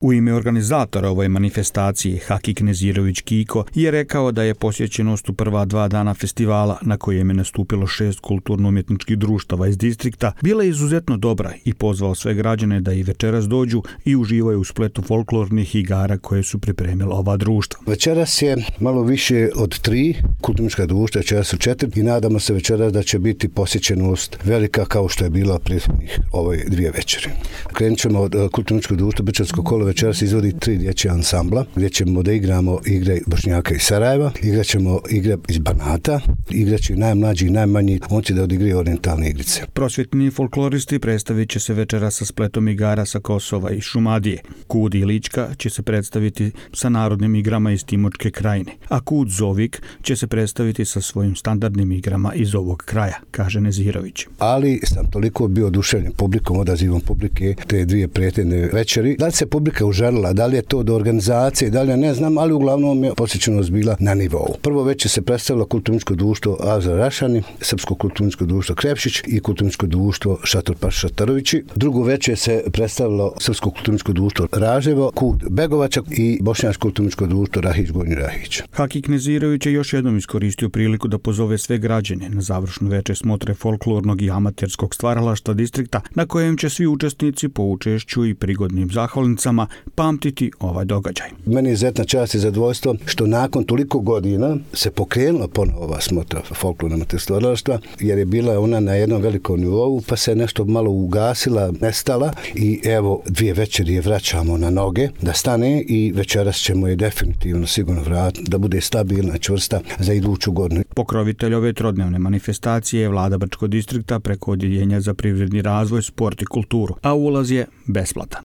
U ime organizatora ove manifestacije Hakik Nezirović Kiko je rekao da je posjećenost u prva 2 dana festivala, na kojem je nastupilo 6 kulturno-umjetničkih društava iz distrikta, bila izuzetno dobra i pozvao sve građane da i večeras dođu i uživaju u spletu folklornih igara koje su pripremila ova društva. Večeras je malo više od 3 kulturno-umjetnička društva, večeras su 4 i nadamo se večeras da će biti posjećenost velika kao što je bila prethodnih ove 2 večeri. Krenut ćemo od kulturno-umjetničkog društva Brčansko kolo. Večeras izvodi 3 dječja ansambla gdje ćemo da igramo igre Bošnjaka iz Sarajeva, igrat ćemo igre iz Banata, igrat će najmlađi i najmanji, on će da odigraju orijentalne igrice. Prosvjetni folkloristi predstavit će se večera sa spletom igara sa Kosova i Šumadije. Kud i Lička će se predstaviti sa narodnim igrama iz Timočke krajine, a Kud Zovik će se predstaviti sa svojim standardnim igrama iz ovog kraja, kaže Nezirović. Ali sam toliko bio oduševljen publikom, odazivom publike te 2 prethodne večeri. Da li se publika užarila, da li je to do organizacije, da li je ne znam, ali uglavnom je posjećenost bila na nivou. Prvo večer se predstavilo kulturno-umjetničko društvo Azra Rašani, Srpsko kulturno-umjetničko društvo Krepšić i kulturno-umjetničko društvo Šator Paša Šatarovići. Drugo večer se predstavilo Srpsko kulturno-umjetničko društvo Raževo, Kud Begovača i Bošnjačko kulturno-umjetničko društvo Rahić Gornji Rahić. Hakik Nezirović je još jednom iskoristio priliku da pozove sve građane na završnu večer smotre folklornog i amaterskog stvaralaštva distrikta, na kojem će svi učesnici po učešću i prigodnim zahvalnicama pamtiti ovaj događaj. Meni je izuzetna čast i zadovoljstvo što nakon toliko godina se pokrenula ponovo ova smotra folklornog amaterskog stvaralaštva, jer je bila ona na jednom velikom nivou, pa se nešto malo ugasila, nestala i evo 2 večeri je vraćamo na noge da stane i večeras ćemo je definitivno sigurno vratiti da bude stabilna, čvrsta za iduću godinu. Pokrovitelj ove trodnevne manifestacije je vlada Brčkog distrikta preko Odjeljenja za privredni razvoj, sport i kulturu, a ulaz je besplatan.